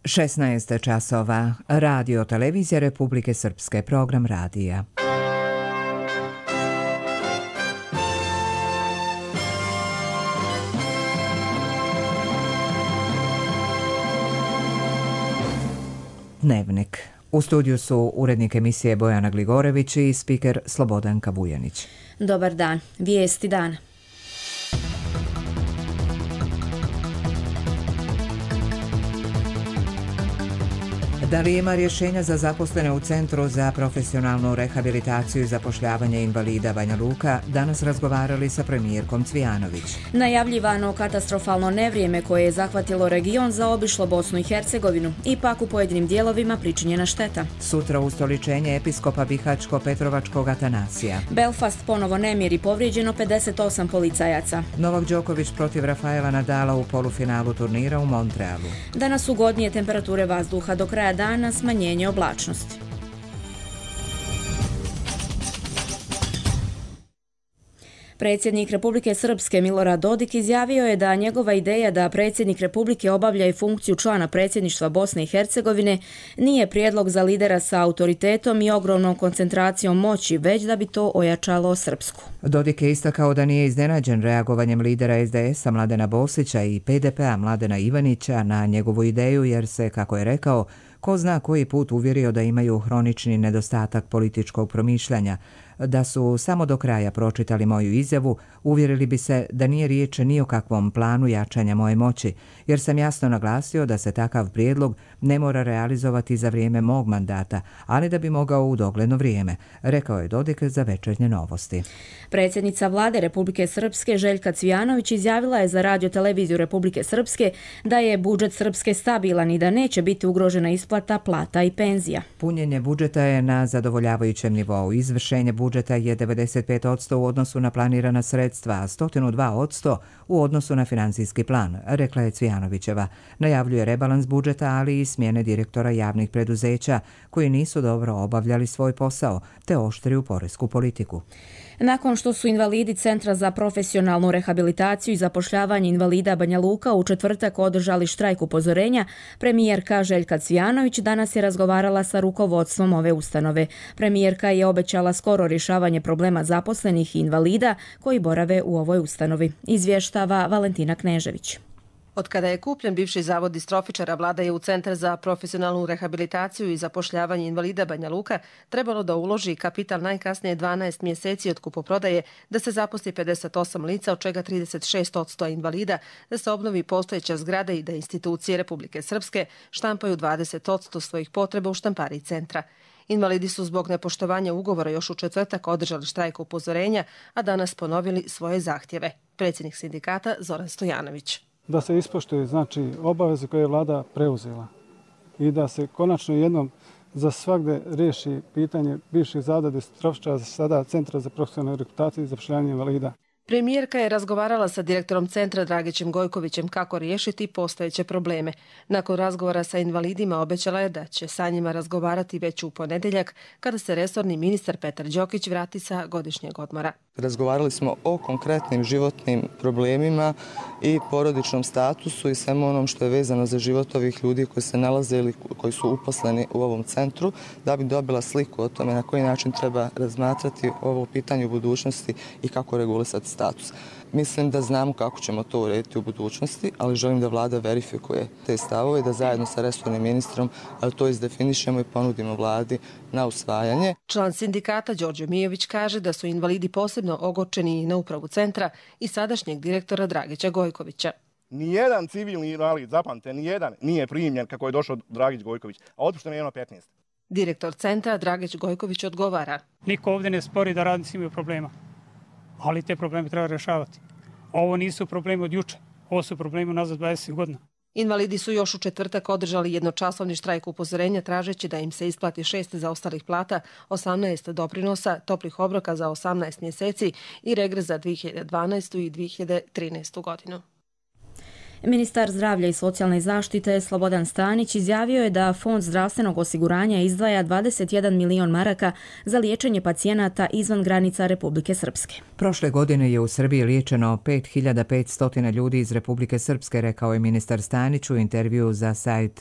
16 časova. Radio televizija Republike Srpske, program radija. Dnevnik. U studiju su urednik emisije Bojana Gligorević i spiker Slobodanka Vujanić. Dobar dan. Vijesti dana. Da li ima rješenja za zaposlene u Centru za profesionalnu rehabilitaciju i zapošljavanje invalida Banja Luka danas razgovarali sa premijerkom Cvijanović. Najavljivano katastrofalno nevrijeme koje je zahvatilo region zaobišlo Bosnu i Hercegovinu, ipak u pojedinim dijelovima pričinjena šteta. Sutra ustoličenje episkopa Bihačko-Petrovačkog Atanasija. Belfast ponovo nemir i povrijeđeno 58 policajaca. Novak Đoković protiv Rafaela Nadala u polufinalu turnira u Montrealu. Danas ugodnije temperature vazduha, do kraja dana smanjenje oblačnosti. Predsjednik Republike Srpske Milorad Dodik izjavio je da njegova ideja da predsjednik Republike obavlja i funkciju člana predsjedništva Bosne i Hercegovine nije prijedlog za lidera sa autoritetom i ogromnom koncentracijom moći, već da bi to ojačalo Srpsku. Dodik je istakao da nije iznenađen reagovanjem lidera SDS-a Mladena Bosića i PDP-a Mladena Ivanića na njegovu ideju, jer se, kako je rekao, ko zna koji put uvjerio da imaju hronični nedostatak političkog promišljanja. Da su samo do kraja pročitali moju izjavu, uvjerili bi se da nije riječ ni o kakvom planu jačanja moje moći, jer sam jasno naglasio da se takav prijedlog ne mora realizovati za vrijeme mog mandata, ali da bi mogao u dogledno vrijeme, rekao je Dodik za Večernje novosti. Predsjednica vlade Republike Srpske Željka Cvijanović izjavila je za radio televiziju Republike Srpske da je budžet Srpske stabilan i da neće biti ugrožena isplata plata i penzija. Punjenje budžeta je na zadovoljavajućem nivou. Izvršenje budžeta je 95% u odnosu na planirana sredstva, a 102% u odnosu na financijski plan, rekla je Cvijanovićeva. Najavljuje rebalans budžeta, ali i smjene direktora javnih preduzeća koji nisu dobro obavljali svoj posao, te oštriju poresku politiku. Nakon što su invalidi Centra za profesionalnu rehabilitaciju i zapošljavanje invalida Banja Luka u četvrtak održali štrajk upozorenja, premijerka Željka Cvijanović danas je razgovarala sa rukovodstvom ove ustanove. Premijerka je obećala skoro rješavanje problema zaposlenih i invalida koji borave u ovoj ustanovi. Izvještava Valentina Knežević. Od kada je kupljen bivši zavod distrofičara, vlada je u Centar za profesionalnu rehabilitaciju i zapošljavanje invalida Banja Luka trebalo da uloži kapital najkasnije 12 mjeseci od kupoprodaje, da se zaposli 58 lica, od čega 36% invalida, da se obnovi postojeća zgrada i da institucije Republike Srpske štampaju 20% svojih potreba u štampariji centra. Invalidi su zbog nepoštovanja ugovora još u četvrtak održali štrajk upozorenja, a danas ponovili svoje zahtjeve. Predsjednik sindikata Zoran Stojanović. Da se ispoštuje obaveze koje je vlada preuzela i da se konačno jednom za svagde riješi pitanje bivših zavoda distrofičara, sada Centra za profesionalnu rehabilitaciju i zapošljavanje invalida. Premijerka je razgovarala sa direktorom centra Dragićem Gojkovićem kako riješiti postojeće probleme. Nakon razgovora sa invalidima obećala je da će sa njima razgovarati već u ponedjeljak, kada se resorni ministar Petar Đokić vrati sa godišnjeg odmora. Razgovarali smo o konkretnim životnim problemima i porodičnom statusu i svemu onom što je vezano za život ovih ljudi koji se nalaze ili koji su uposleni u ovom centru, da bi dobila sliku o tome na koji način treba razmatrati ovo pitanje u budućnosti i kako regulisati status. Mislim da znamo kako ćemo to urediti u budućnosti, ali želim da vlada verifikuje te stavove i da zajedno sa resornim ministrom to izdefinišemo i ponudimo vladi na usvajanje. Član sindikata Đorđe Mijović kaže da su invalidi posebno ogorčeni na upravu centra i sadašnjeg direktora Dragića Gojkovića. Nijedan civilni invalid, zapamtite, nijedan nije primljen kako je došao Dragić Gojković, a otpušteno je 15. Direktor centra Dragić Gojković odgovara. Niko ovdje ne spori da radnici imaju problema, ali te probleme treba rješavati. Ovo nisu problemi od juče, ovo su problemi nazad 20 godina. Invalidi su još u četvrtak održali jednočasovni štrajk upozorenja tražeći da im se isplati 6 zaostalih plata, 18 doprinosa, toplih obroka za 18 mjeseci i regres za 2012. i 2013. godinu. Ministar zdravlja i socijalne zaštite Slobodan Stanić izjavio je da Fond zdravstvenog osiguranja izdvaja 21 milion maraka za liječenje pacijenata izvan granica Republike Srpske. Prošle godine je u Srbiji liječeno 5500 ljudi iz Republike Srpske, rekao je ministar Stanić u intervjuu za sajt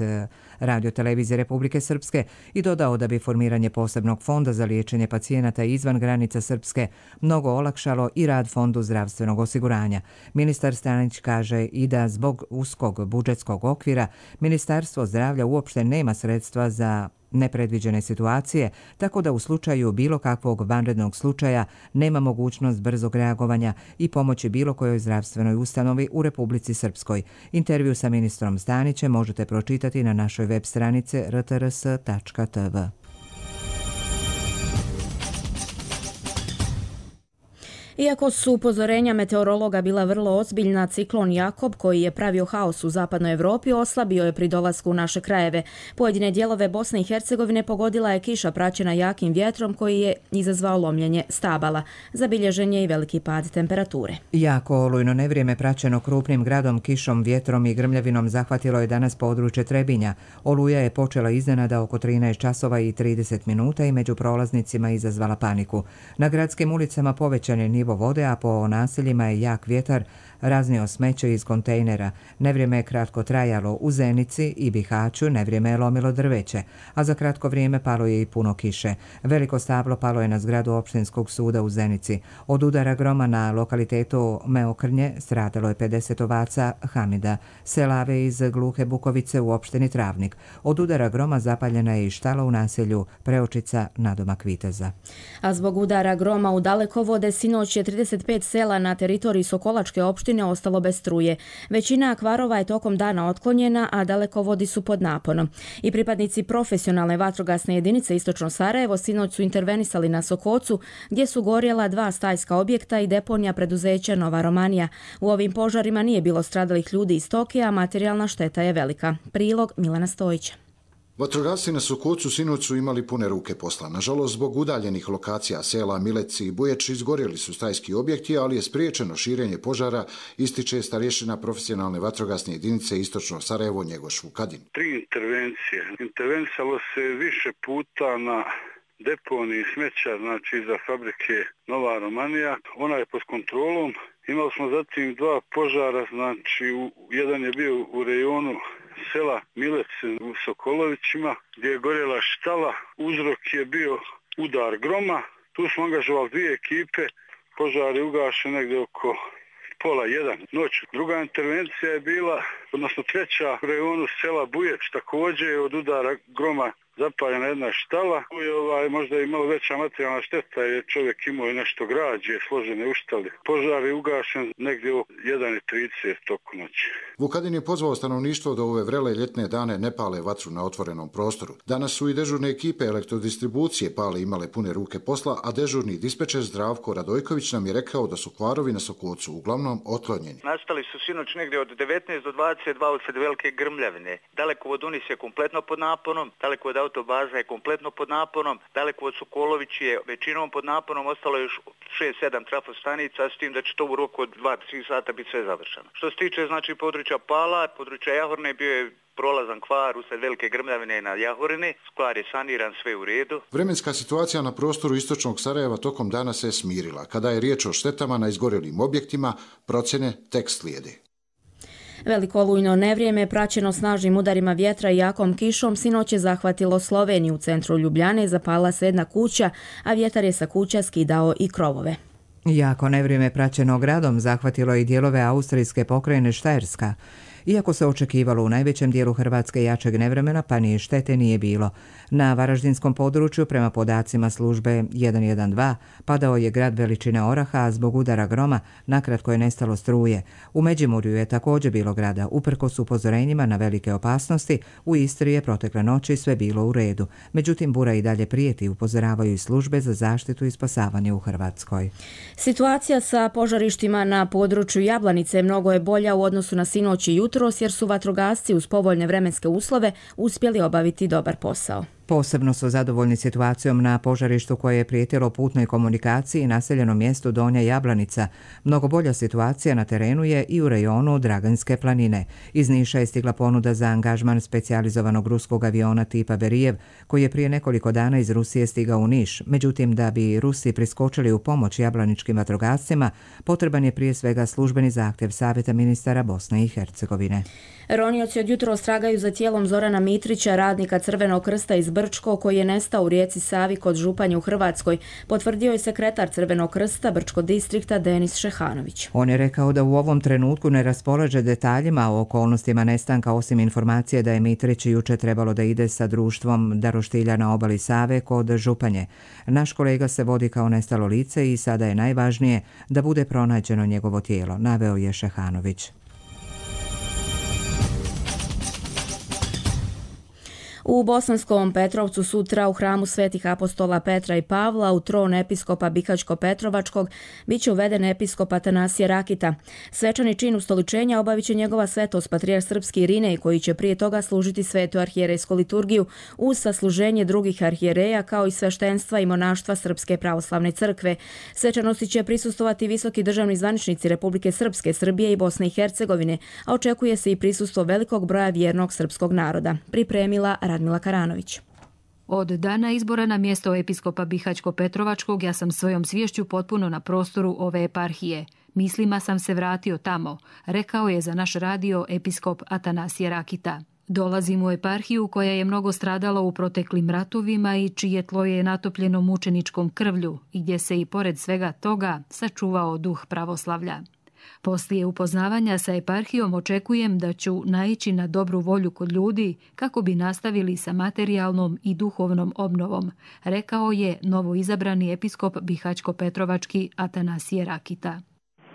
Radio-televizije Republike Srpske i dodao da bi formiranje posebnog fonda za liječenje pacijenata izvan granica Srpske mnogo olakšalo i rad Fondu zdravstvenog osiguranja. Ministar Stanić kaže i da zbog uskog budžetskog okvira Ministarstvo zdravlja uopšte nema sredstva za nepredviđene situacije, tako da u slučaju bilo kakvog vanrednog slučaja nema mogućnost brzog reagovanja i pomoći bilo kojoj zdravstvenoj ustanovi u Republici Srpskoj. Intervju sa ministrom Stanićem možete pročitati na našoj web stranici rtrs.tv. Iako su upozorenja meteorologa bila vrlo ozbiljna, ciklon Jakob, koji je pravio haos u zapadnoj Evropi, oslabio je pri dolasku u naše krajeve. Pojedine dijelove Bosne i Hercegovine pogodila je kiša praćena jakim vjetrom koji je izazvao lomljenje stabala. Zabilježen je i veliki pad temperature. Jako olujno nevrijeme praćeno krupnim gradom, kišom, vjetrom i grmljavinom zahvatilo je danas područje Trebinja. Oluja je počela iznenada oko 13 časova i 30 minuta i među prolaznicima izazvala paniku. Na gradskim ulicama povećan je nivo vode, a po naseljima je jak vjetar raznio smeće iz kontejnera. Nevrijeme je kratko trajalo u Zenici i Bihaću, nevrijeme je lomilo drveće, a za kratko vrijeme palo je i puno kiše. Veliko stablo palo je na zgradu opštinskog suda u Zenici. Od udara groma na lokalitetu Meokrnje stradalo je 50 ovaca Hamida, selave iz Gluhe Bukovice u opštini Travnik. Od udara groma zapaljena je i štala u naselju Preočica nadomak Viteza. A zbog udara groma u Dalekovode sinoć je 35 sela na teritoriji Sokolačke opštine ostalo bez struje. Većina akvarova je tokom dana otklonjena, a dalekovodi su pod naponom. I pripadnici profesionalne vatrogasne jedinice Istočno Sarajevo sinoć su intervenisali na Sokocu, gdje su gorjela 2 stajska objekta i deponija preduzeća Nova Romanija. U ovim požarima nije bilo stradalih ljudi i stoke, a materijalna šteta je velika. Prilog Milana Stojića. Vatrogasci na Sokocu sinoć su imali pune ruke posla. Nažalost, zbog udaljenih lokacija sela Mileci i Bujeć izgorjeli su stajski objekti, ali je spriječeno širenje požara, ističe starješina profesionalne vatrogasne jedinice Istočno Sarajevo Njegoš Vukadin. 3 intervencije. Intervenisalo se više puta na deponiji smeća, znači iza fabrike Nova Romanija. Ona je pod kontrolom. Imali smo zatim 2 požara, znači jedan je bio u rejonu sela Milec u Sokolovićima, gdje je gorjela štala. Uzrok je bio udar groma. Tu smo angažovali 2 ekipe. Požar je ugašen negdje oko 12:30 noći. Druga intervencija je bila, odnosno 3. u rejonu sela Bujeć, također je od udara groma zapaljena jedna štala. Tu je možda imala veća materijalna šteta, jer čovjek imao i nešto građe, složene u štali. Požar je ugašen negdje oko 1:30 toku noći. Vukadin je pozvao stanovništvo da ove vrele ljetne dane ne pale vatru na otvorenom prostoru. Danas su i dežurne ekipe elektrodistribucije pale imale pune ruke posla, a dežurni dispečer Zdravko Radojković nam je rekao da su kvarovi na Sokocu uglavnom otklonjeni. Nastali su sinoć negdje od 19 do 22 usred velike grmljavine. Dalekovod Unis je kompletno pod naponom, dalekovod autobaza je kompletno pod naponom, dalekovod Sokolović je većinom pod naponom, ostalo je još 6-7 trafostanica, s tim da će to u roku od 2-3 sata biti sve završeno. Što se tiče znači područja Pala, područja Jahorne, bio je prolazan kvar usred velike grmljavine na Jahorini. Kvar je saniran, sve u redu. Vremenska situacija na prostoru Istočnog Sarajeva tokom dana se smirila. Kada je riječ o štetama na izgorjelim objektima, procjene tek slijede. Veliko olujno nevrijeme praćeno snažnim udarima vjetra i jakom kišom sinoć je zahvatilo Sloveniju. U centru Ljubljane zapala se jedna kuća, a vjetar je sa kuća skidao i krovove. Jako nevrijeme praćeno gradom zahvatilo i dijelove austrijske pokrajine Štajerska. Iako se očekivalo u najvećem dijelu Hrvatske jačeg nevremena, pa ni štete nije bilo. Na varaždinskom području, prema podacima službe 112, padao je grad veličine oraha, a zbog udara groma nakratko je nestalo struje. U Međimurju je također bilo grada. Uprkos upozorenjima na velike opasnosti, u Istri je protekle noći sve bilo u redu. Međutim, bura i dalje prijeti, upozoravaju i službe za zaštitu i spasavanje u Hrvatskoj. Situacija sa požarištima na području Jablanice mnogo je bolja u odnosu na sinoć i jutros, jer su vatrogasci uz povoljne vremenske uslove uspjeli obaviti dobar posao. Posebno su zadovoljni situacijom na požarištu koje je prijetilo putnoj komunikaciji i naseljenom mjestu Donja Jablanica. Mnogo bolja situacija na terenu je i u rejonu Draganske planine. Iz Niša je stigla ponuda za angažman specijalizovanog ruskog aviona tipa Berijev, koji je prije nekoliko dana iz Rusije stigao u Niš. Međutim, da bi Rusi priskočili u pomoć jablaničkim vatrogascima, potreban je prije svega službeni zahtjev Savjeta ministara Bosne i Hercegovine. Ronioci od jutros tragaju za tijelom Zorana Mitrića, radnika Crvenog krsta iz Brčko, koji je nestao u rijeci Savi kod Županje u Hrvatskoj, potvrdio je sekretar Crvenog krsta Brčko distrikta Denis Šehanović. On je rekao da u ovom trenutku ne raspolaže detaljima o okolnostima nestanka, osim informacije da je Mitrić juče trebalo da ide sa društvom Daroštilja na obali Save kod Županje. Naš kolega se vodi kao nestalo lice i sada je najvažnije da bude pronađeno njegovo tijelo, naveo je Šehanović. U Bosanskom Petrovcu sutra u hramu Svetih apostola Petra i Pavla u tron episkopa Bihaćko-Petrovačkog bit će uveden episkop Atanasije Rakita. Svečani čin ustoličenja obavit će njegova svetost patrijarh srpski Irinej, koji će prije toga služiti svetu arhijerejsku liturgiju uz sasluženje drugih arhijereja kao i sveštenstva i monaštva Srpske pravoslavne crkve. Svečanosti će prisustvovati visoki državni zvaničnici Republike Srpske, Srbije i Bosne i Hercegovine, a očekuje se i prisustvo velikog broja vjernog srpskog naroda. Pripremila Radmila Karanović. Od dana izbora na mjesto episkopa Bihaćko-Petrovačkog ja sam svojom sviješću potpuno na prostoru ove eparhije. Mislima sam se vratio tamo, rekao je za naš radio episkop Atanasije Rakita. Dolazim u eparhiju koja je mnogo stradala u proteklim ratovima i čije tlo je natopljeno mučeničkom krvlju i gdje se i pored svega toga sačuvao duh pravoslavlja. Poslije upoznavanja sa eparhijom očekujem da ću naići na dobru volju kod ljudi kako bi nastavili sa materijalnom i duhovnom obnovom, rekao je novoizabrani episkop Bihaćko-Petrovački Atanasije Rakita.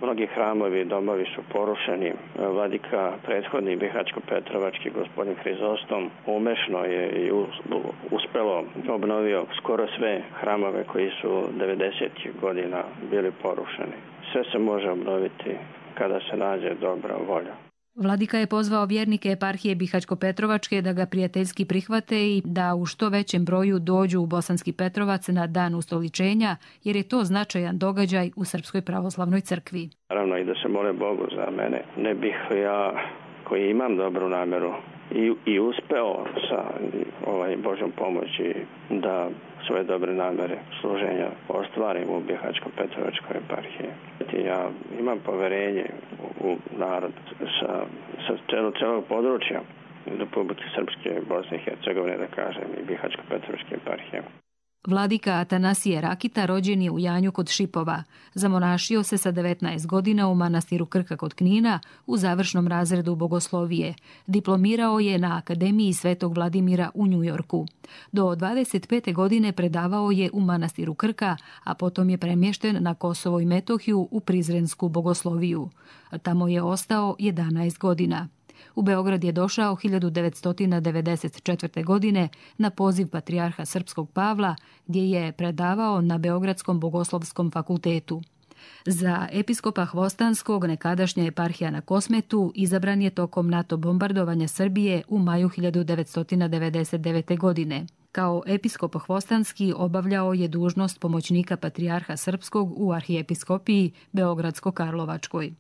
Mnogi hramovi i domovi su porušeni. Vladika prethodni Bihaćko-Petrovački gospodin Hrizostom umešno je i uspelo obnovio skoro sve hramove koji su 90. godina bili porušeni. Sve se može obnoviti kada se nađe dobra volja. Vladika je pozvao vjernike eparhije Bihaćko-Petrovačke da ga prijateljski prihvate i da u što većem broju dođu u Bosanski Petrovac na dan ustoličenja, jer je to značajan događaj u Srpskoj pravoslavnoj crkvi. Naravno i da se mole Bogu za mene. Ne bih ja, koji imam dobru namjeru i uspeo sa Božjom pomoći da svoje dobre namjere služenja ostvarim u Bihaćko-Petrovačkoj eparhiji. Ja imam poverenje u narod sa celog područja Republike Srpske, Bosne i Hercegovine, da kažem, i Bihaćko-Petrovačke eparhije. Vladika Atanasije Rakita rođen je u Janju kod Šipova. Zamonašio se sa 19 godina u manastiru Krka kod Knina u završnom razredu bogoslovije. Diplomirao je na Akademiji Svetog Vladimira u Njujorku. Do 25. godine predavao je u manastiru Krka, a potom je premješten na Kosovo i Metohiju u Prizrensku bogosloviju. Tamo je ostao 11 godina. U Beograd je došao 1994. godine na poziv patrijarha Srpskog Pavla, gdje je predavao na Beogradskom bogoslovskom fakultetu. Za episkopa Hvostanskog, nekadašnja eparhija na Kosmetu, izabran je tokom NATO bombardovanja Srbije u maju 1999. godine. Kao episkop Hvostanski obavljao je dužnost pomoćnika patrijarha Srpskog u arhijepiskopiji Beogradsko-Karlovačkoj.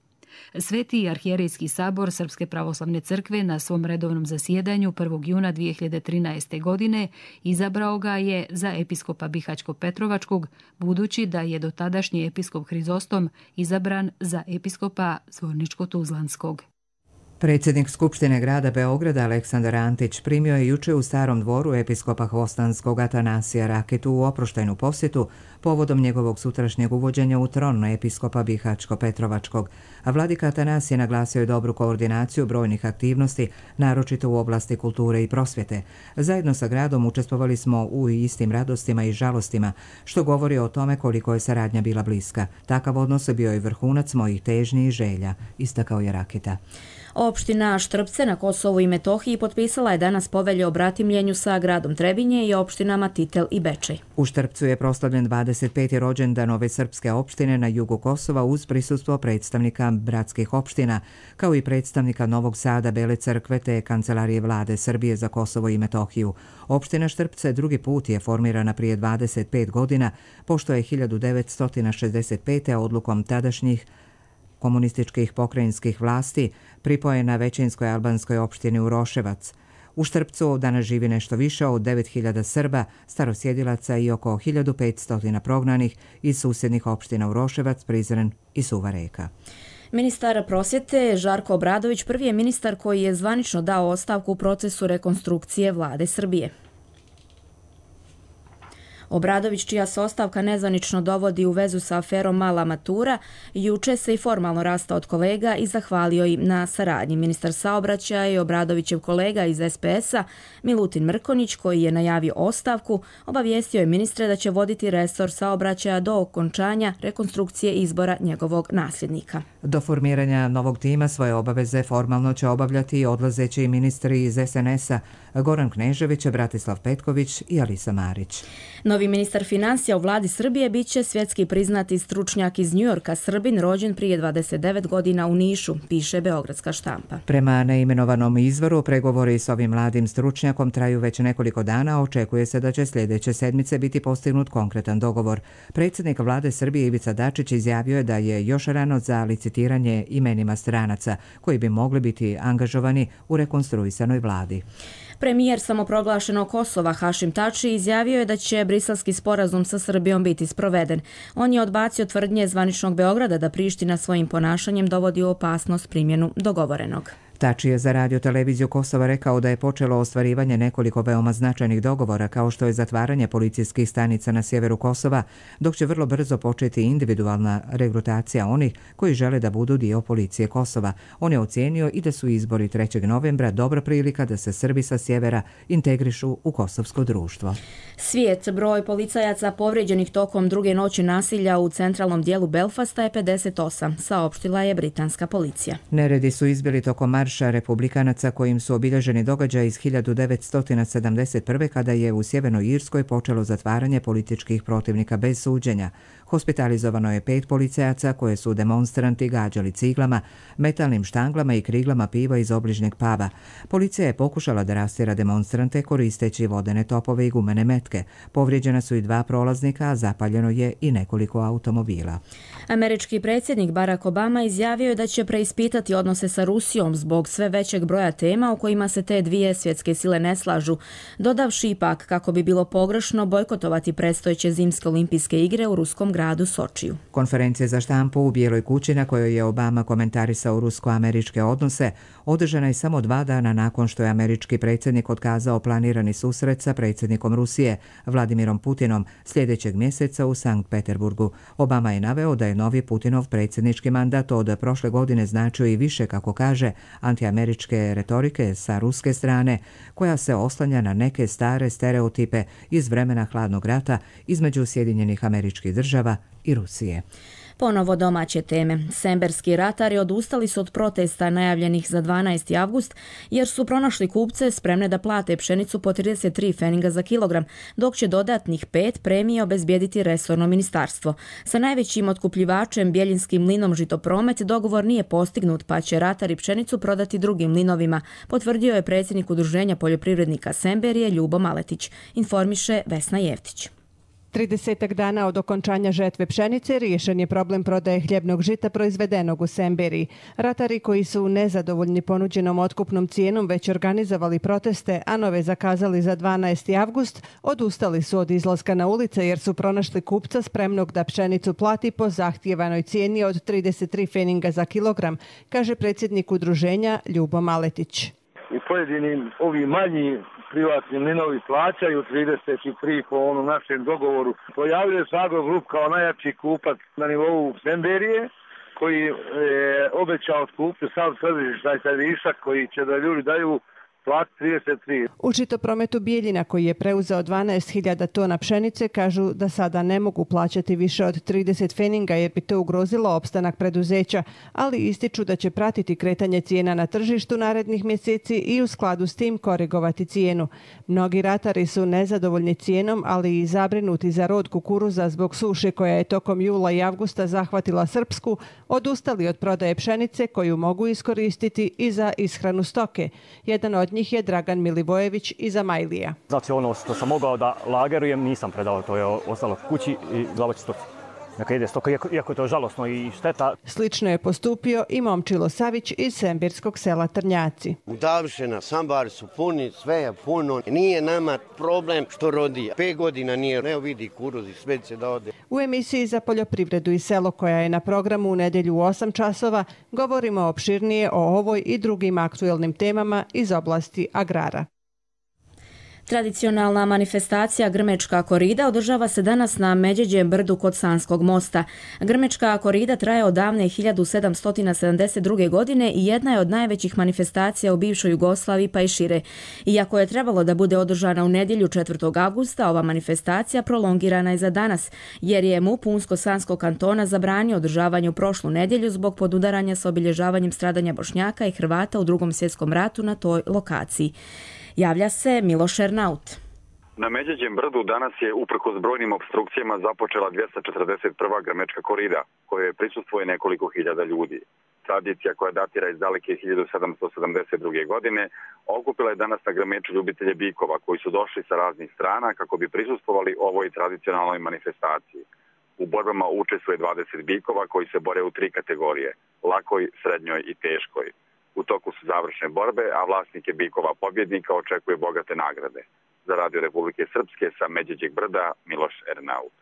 Sveti arhijerejski sabor Srpske pravoslavne crkve na svom redovnom zasjedanju 1. juna 2013. godine izabrao ga je za episkopa Bihaćko-Petrovačkog, budući da je dotadašnji episkop Hrizostom izabran za episkopa Zvorničko-Tuzlanskog. Predsjednik Skupštine grada Beograda Aleksandar Antić primio je juče u Starom dvoru episkopa Hvostanskog Atanasija Rakitu u oproštajnu posjetu povodom njegovog sutrašnjeg uvođenja u tron episkopa Bihaćko-Petrovačkog, a vladika Atanasije naglasio je dobru koordinaciju brojnih aktivnosti, naročito u oblasti kulture i prosvjete. Zajedno sa gradom učestvovali smo u istim radostima i žalostima, što govori o tome koliko je saradnja bila bliska. Takav odnos bio je vrhunac mojih težnji i želja, istakao je Rakita. Opština Štrpce na Kosovu i Metohiji potpisala je danas povelju o bratimljenju sa gradom Trebinje i opštinama Titel i Bečej. U Štrpcu je proslavljen 25. rođendan ove srpske opštine na jugu Kosova uz prisustvo predstavnika bratskih opština, kao i predstavnika Novog Sada, Bele Crkve te Kancelarije vlade Srbije za Kosovo i Metohiju. Opština Štrpce drugi put je formirana prije 25 godina, pošto je 1965. odlukom tadašnjih komunističkih pokrajinskih vlasti pripojena većinskoj albanskoj opštini Uroševac. U Štrpcu danas živi nešto više od 9.000 Srba, starosjedilaca i oko 1.500 prognanih iz susjednih opština Uroševac, Prizren i Suva Reka. Ministar prosvjete Žarko Obradović prvi je ministar koji je zvanično dao ostavku u procesu rekonstrukcije vlade Srbije. Obradović, čija se ostavka nezvanično dovodi u vezu sa aferom Mala matura, juče se i formalno rastao od kolega i zahvalio im na saradnji. Ministar saobraćaja i Obradovićev kolega iz SPS-a, Milutin Mrkonić, koji je najavio ostavku, obavijestio je ministre da će voditi resor saobraćaja do okončanja rekonstrukcije izbora njegovog nasljednika. Do formiranja novog tima svoje obaveze formalno će obavljati i odlazeći ministri iz SNS-a Goran Knežević, Bratislav Petković i Alisa Marić. Novi ministar financija u vladi Srbije biće svjetski priznati stručnjak iz Njujorka, Srbin, rođen prije 29 godina u Nišu, piše Beogradska štampa. Prema neimenovanom izvoru, pregovori s ovim mladim stručnjakom traju već nekoliko dana, očekuje se da će sljedeće sedmice biti postignut konkretan dogovor. Predsjednik vlade Srbije Ivica Dačić izjavio je da je još rano za licitiranje imenima stranaca koji bi mogli biti angažovani u rekonstruisanoj vladi. Premijer samoproglašenog Kosova Hašim Tači izjavio je da će briselski sporazum sa Srbijom biti sproveden. On je odbacio tvrdnje zvaničnog Beograda da Priština svojim ponašanjem dovodi u opasnost primjenu dogovorenog. Tači je za radio televiziju Kosova rekao da je počelo ostvarivanje nekoliko veoma značajnih dogovora, kao što je zatvaranje policijskih stanica na sjeveru Kosova, dok će vrlo brzo početi individualna regrutacija onih koji žele da budu dio policije Kosova. On je ocijenio i da su izbori 3. novembra dobra prilika da se Srbi sa sjevera integrišu u kosovsko društvo. Svijet, broj policajaca povrijeđenih tokom druge noći nasilja u centralnom dijelu Belfasta je 58, saopštila je britanska policija. Neredi su izbili tokom marša republikanaca kojim su obilježeni događaji iz 1971. kada je u Sjevernoj Irskoj počelo zatvaranje političkih protivnika bez suđenja. Hospitalizovano je 5 policajaca koje su demonstranti gađali ciglama, metalnim štanglama i kriglama piva iz obližnjeg paba. Policija je pokušala da rastjera demonstrante koristeći vodene topove i gumene metke. Povrijeđena su i 2 prolaznika, a zapaljeno je i nekoliko automobila. Američki predsjednik Barack Obama izjavio je da će preispitati odnose sa Rusijom zbog sve većeg broja tema u kojima se te dvije svjetske sile ne slažu, dodavši ipak kako bi bilo pogrešno bojkotovati predstojeće zimske olimpijske igre u ruskom gradu Sočiju. Konferencija za štampu u Bijeloj kući na kojoj je Obama komentarisao rusko-američke odnose održana je samo 2 dana nakon što je američki predsjednik otkazao planirani susret sa predsjednikom Rusije Vladimirom Putinom sljedećeg mjeseca u Sankt Peterburgu. Obama je naveo da je novi Putinov predsjednički mandat od prošle godine značio i više, kako kaže, antiameričke retorike sa ruske strane, koja se oslanja na neke stare stereotipe iz vremena hladnog rata između Sjedinjenih Američkih Država i Rusije. Ponovo domaće teme. Semberski ratari odustali su od protesta najavljenih za 12. avgust jer su pronašli kupce spremne da plate pšenicu po 33 feninga za kilogram, dok će dodatnih 5 premije obezbijediti resorno ministarstvo. Sa najvećim otkupljivačem Bjeljinskim mlinom Žitopromet dogovor nije postignut, pa će ratari pšenicu prodati drugim mlinovima, potvrdio je predsjednik Udruženja poljoprivrednika Semberije Ljubo Maletić, informiše Vesna Jevtić. 30 dana od okončanja žetve pšenice riješen je problem prodaje hljebnog žita proizvedenog u Semberiji. Ratari koji su nezadovoljni ponuđenom otkupnom cijenom već organizovali proteste, a nove zakazali za 12. avgust, odustali su od izlaska na ulice jer su pronašli kupca spremnog da pšenicu plati po zahtijevanoj cijeni od 33 feninga za kilogram, kaže predsjednik udruženja Ljubo Maletić. U pojedinim ovi manji privatni mlinovi plaćaju 33 po onom našem dogovoru. Pojavljuje se Agrogrup kao najjači kupac na nivou Semberije, koji je obećao otkupiti sav tržištaj višak koji će da ljudi daju plat 33. U Žitoprometu Bijeljina, koji je preuzeo 12.000 tona pšenice, kažu da sada ne mogu plaćati više od 30 feninga jer bi to ugrozilo opstanak preduzeća, ali ističu da će pratiti kretanje cijena na tržištu narednih mjeseci i u skladu s tim korigovati cijenu. Mnogi ratari su nezadovoljni cijenom, ali i zabrinuti za rod kukuruza zbog suše koja je tokom jula i avgusta zahvatila Srpsku, odustali od prodaje pšenice koju mogu iskoristiti i za ishranu stoke. Jedan od njih je Dragan Milivojević iz Amajlija. Znači ono što sam mogao da lagerujem nisam predao, to je ostalo kući i glava će stoki. Neka ide stoka, iako je to žalosno i šteta. Slično je postupio i Momčilo Savić iz sembirskog sela Trnjaci. Udavšena, sambari su puni, sve je puno. Nije nama problem što rodi. 5 godina nije, ne vidi kuruzi, sve će da ode. U emisiji za poljoprivredu i selo, koja je na programu u nedjelju u 8 časova, govorimo opširnije o ovoj i drugim aktuelnim temama iz oblasti agrara. Tradicionalna manifestacija Grmečka korida održava se danas na Međeđem brdu kod Sanskog mosta. Grmečka korida traje od davne 1772. godine i jedna je od najvećih manifestacija u bivšoj Jugoslaviji pa i šire. Iako je trebalo da bude održana u nedjelju 4. avgusta, ova manifestacija prolongirana je za danas, jer je MUP Unsko-Sanskog kantona zabranio održavanje u prošlu nedjelju zbog podudaranja s obilježavanjem stradanja Bošnjaka i Hrvata u Drugom svjetskom ratu na toj lokaciji. Javlja se Miloš Ernaut. Na Međeđem brdu danas je uprkos brojnim opstrukcijama započela 241. Grmečka korida, kojoj prisustvuje nekoliko hiljada ljudi. Tradicija koja datira iz daleke 1772. godine okupila je danas na Grmeču ljubitelje bikova koji su došli sa raznih strana kako bi prisustvovali ovoj tradicionalnoj manifestaciji. U borbama učestvuje 20 bikova koji se bore u 3 kategorije: lakoj, srednjoj i teškoj. U toku su završne borbe, a vlasnike bikova pobjednika očekuje bogate nagrade. Za Radio Republike Srpske sa Međeđeg brda, Miloš Ernaut.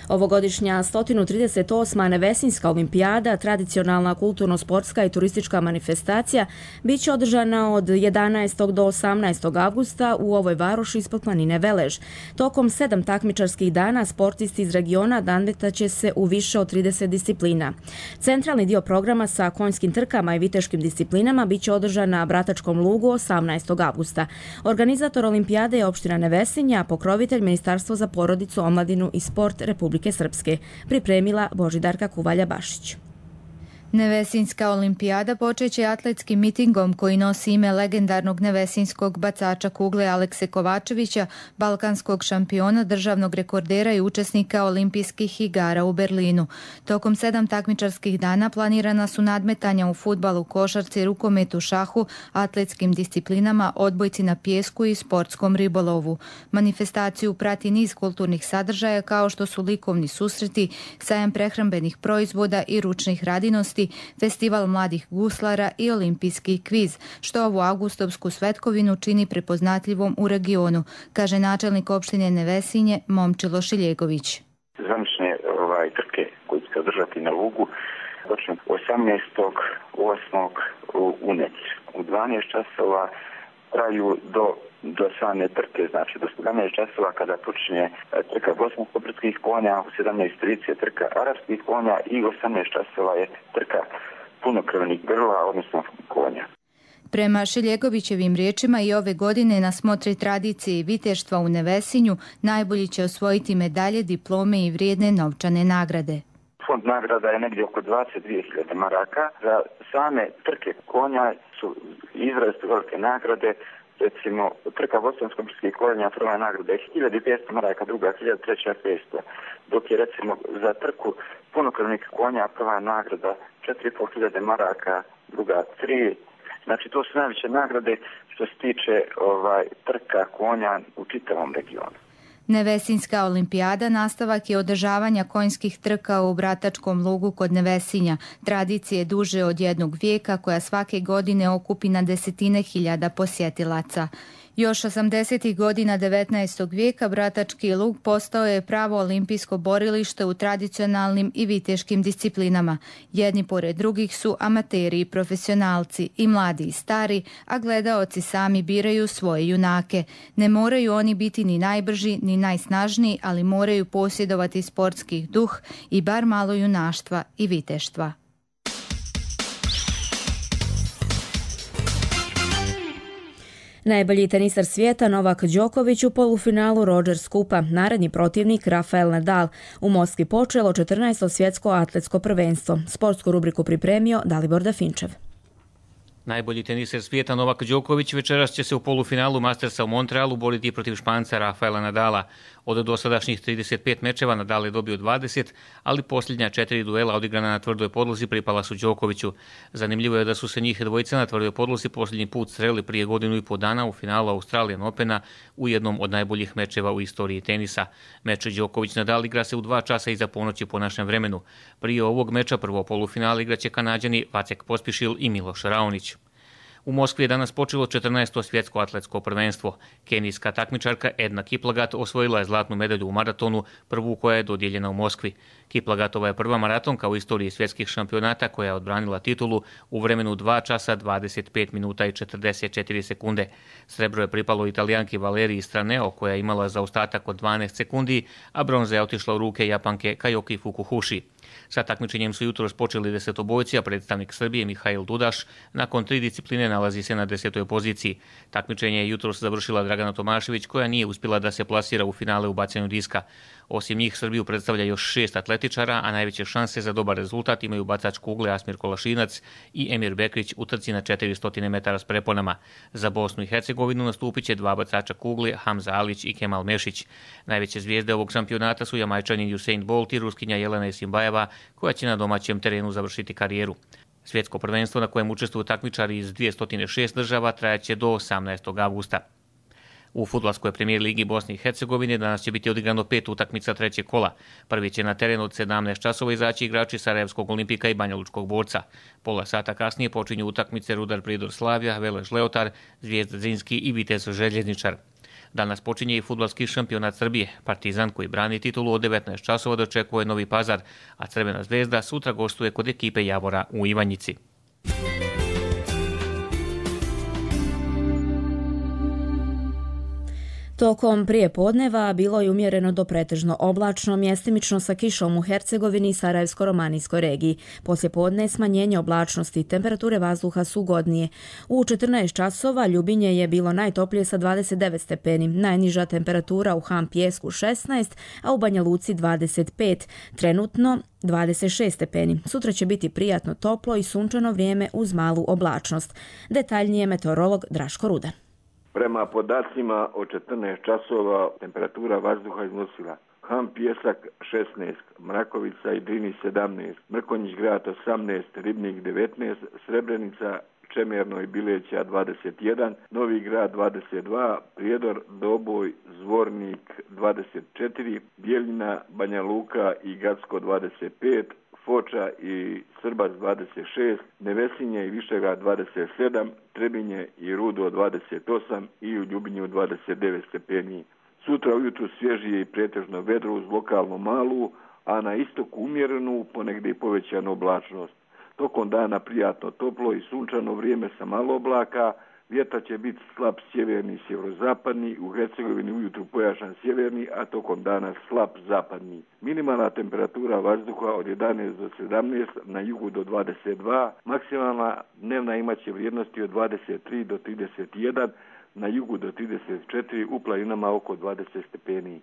Ovogodišnja 138. Nevesinjska olimpijada, tradicionalna kulturno-sportska i turistička manifestacija, bit će održana od 11. do 18. avgusta u ovoj varoši ispod planine Velež. Tokom 7 takmičarskih dana sportisti iz regiona nadmetaće se u više od 30 disciplina. Centralni dio programa sa konjskim trkama i viteškim disciplinama bit će održan na Bratačkom lugu 18. avgusta. Organizator olimpijade je opština Nevesinja, a pokrovitelj Ministarstvo za porodicu, omladinu i sport Republike Srpske. Pripremila Božidarka Kuvalja-Bašić. Nevesinjska olimpijada počeće atletskim mitingom koji nosi ime legendarnog nevesinjskog bacača kugle Alekse Kovačevića, balkanskog šampiona, državnog rekordera i učesnika olimpijskih igara u Berlinu. Tokom 7 takmičarskih dana planirana su nadmetanja u fudbalu, košarci, rukometu, šahu, atletskim disciplinama, odbojci na pijesku i sportskom ribolovu. Manifestaciju prati niz kulturnih sadržaja kao što su likovni susreti, sajam prehrambenih proizvoda i ručnih radinosti, festival mladih guslara i olimpijski kviz, što ovu avgustovsku svetkovinu čini prepoznatljivom u regionu, kaže načelnik opštine Nevesinje Momčilo Šiljegović. Zvanične trke koje će se održati na Lugu počne 18.8. u Neci. U 12 časova traju do same trke, znači do 17 časova kada počinje trka bosansko-brdskih konja, u 17.30 trka arapskih konja i u 18 časova je trka punokrvnih grla, odnosno konja. Prema Šiljegovićevim riječima i ove godine na smotri tradicije i viteštva u Nevesinju najbolji će osvojiti medalje, diplome i vrijedne novčane nagrade. Fond nagrada je negdje oko 22.000 maraka. Za same trke konja su izrazito velike nagrade. Recimo, trka bosansko-brdskih konja, prva nagrada je 1.500 maraka, druga 1.000, 500. Dok je recimo za trku punokrvnih konja prva nagrada 4.500 maraka, druga 3. Znači, to su najveće nagrade što se tiče trka konja u čitavom regionu. Nevesinjska olimpijada nastavak je održavanja konjskih trka u Bratačkom lugu kod Nevesinja, tradicije duže od 1 vijeka koja svake godine okupi na desetine hiljada posjetilaca. Još 80. godina 19. vijeka Bratački lug postao je pravo olimpijsko borilište u tradicionalnim i viteškim disciplinama. Jedni pored drugih su amateri i profesionalci, i mladi i stari, a gledaoci sami biraju svoje junake. Ne moraju oni biti ni najbrži ni najsnažniji, ali moraju posjedovati sportski duh i bar malo junaštva i viteštva. Najbolji tenisar svijeta Novak Đoković u polufinalu Rogers Kupa, naredni protivnik Rafael Nadal. U Moskvi počelo 14. svjetsko atletsko prvenstvo. Sportsku rubriku pripremio Dalibor Dafinčev. Najbolji teniser svijeta Novak Đoković večeras će se u polufinalu Mastersa u Montrealu boriti protiv Španca Rafaela Nadala. Od dosadašnjih 35 mečeva Nadal je dobio 20, ali posljednja 4 duela odigrana na tvrdoj podlozi pripala su Đokoviću. Zanimljivo je da su se njih dvojica na tvrdoj podlozi posljednji put sreli prije 1.5 godina u finalu Australian Opena u jednom od najboljih mečeva u istoriji tenisa. Meč Đoković-Nadal igra se u 2 časa iza ponoći po našem vremenu. Prije ovog meča prvo polufinale igraće Kanađani Vacek Pospišil i Miloš Raonić. U Moskvi je danas počelo 14. svjetsko atletsko prvenstvo. Kenijska takmičarka Edna Kiplagat osvojila je zlatnu medalju u maratonu, prvu koja je dodijeljena u Moskvi. Kiplagatova je prva maratonka u istoriji svjetskih šampionata koja je odbranila titulu u vremenu 2 časa 25 minuta i 44 sekunde. Srebro je pripalo Italijanki Valeriji Straneo koja je imala zaostatak od 12 sekundi, a bronza je otišla u ruke Japanke Kajoki Fukuhushi. Sa takmičenjem su jutros počeli desetobojci, a predstavnik Srbije Mihail Dudaš nakon 3 discipline nalazi se na 10. poziciji. Takmičenje je jutros završila Dragana Tomašević koja nije uspjela da se plasira u finale u bacanju diska. Osim njih Srbiju predstavlja još 6 atletičara, a najveće šanse za dobar rezultat imaju bacač kugle Asmir Kolašinac i Emir Bekrić u trci na 400 metara s preponama. Za Bosnu i Hercegovinu nastupit će 2 bacača kugle Hamza Alić i Kemal Mešić. Najveće zvijezde ovog šampionata su Jamajčanin Usain Bolt i Ruskinja Jelena Isimbajeva koja će na domaćem terenu završiti karijeru. Svjetsko prvenstvo na kojem učestvuju takmičari iz 206 država trajaće do 18. avgusta. U fudbalskoj premijer ligi Bosne i Hercegovine danas će biti odigrano 5 utakmica trećeg kola. Prvi će na teren od 17 časova izaći igrači Sarajevskog Olimpika i Banja Lučkog Borca. Pola sata kasnije počinju utakmice Rudar Pridor Slavija, Velež Leotar, Zvijezda Zrinski i Vitez Željezničar. Danas počinje i fudbalski šampionat Srbije. Partizan koji brani titulu od 19 časova dočekuje Novi Pazar, a Crvena zvezda sutra gostuje kod ekipe Javora u Ivanjici. Tokom prijepodneva bilo je umjereno do pretežno oblačno, mjestimično sa kišom u Hercegovini i Sarajevsko-romanijskoj regiji. Poslijepodne smanjenje oblačnosti, temperature vazduha su ugodnije. U 14 časova Ljubinje je bilo najtoplije sa 29 stepeni, najniža temperatura u Han Pijesku 16, a u Banja Luci 25, trenutno 26 stepeni. Sutra će biti prijatno toplo i sunčano vrijeme uz malu oblačnost. Detaljnije meteorolog Draško Rudan. Prema podacima od 14 časova temperatura vazduha iznosila Han Pijesak 16, Mrakovica i Drini 17, Mrkonjić grad 18, Ribnik 19, Srebrenica, Čemerno i Bileća 21, Novi grad 22, Prijedor, Doboj, Zvornik 24, Bjeljina, Banja Luka i Gacko 25, Foča i Srbac 26, Nevesinje i Višegrad 27, Trebinje i Rudo 28 i u Ljubinju 29 stepeni. Sutra ujutru svježije i pretežno vedro uz lokalno malu, a na istoku umjerenu, ponegdje i povećanu oblačnost. Tokom dana prijatno toplo i sunčano vrijeme sa malo oblaka, vjetar će biti slab sjeverni i sjeverozapadni, u Hercegovini ujutru pojačan sjeverni, a tokom dana slab zapadni. Minimalna temperatura vazduha od 11 do 17, na jugu do 22, maksimalna dnevna imaće vrijednosti od 23 do 31, na jugu do 34, u planinama oko 20 stepeni.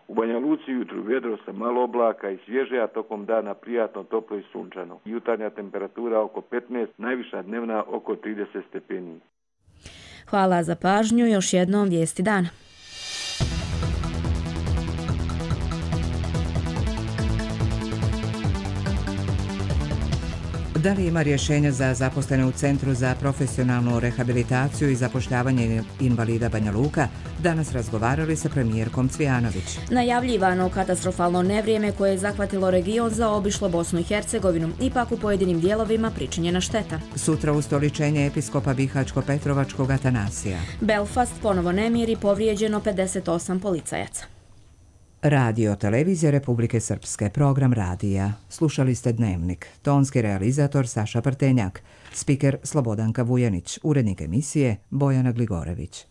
U Banja Luci jutru vjedro sa malo oblaka i svježe, a tokom dana prijatno toplo i sunčano. Jutarnja temperatura oko 15, najviša dnevna oko 30 stepeni. Hvala za pažnju, još jednom vijesti dana. Da li ima rješenja za zaposlene u Centru za profesionalnu rehabilitaciju i zapošljavanje invalida Banja Luka? Danas razgovarali sa premijerkom Cvijanović. Najavljivano katastrofalno nevrijeme koje je zahvatilo region zaobišlo Bosnu i Hercegovinu, ipak u pojedinim dijelovima pričinjena šteta. Sutra ustoličenje episkopa Bihaćko-Petrovačkog Atanasija. Belfast ponovo nemir i povrijeđeno 58 policajaca. Radio Televizija Republike Srpske, program radija. Slušali ste Dnevnik. Tonski realizator Saša Prtenjak, spiker Slobodanka Vujanić, urednik emisije Bojana Gligorević.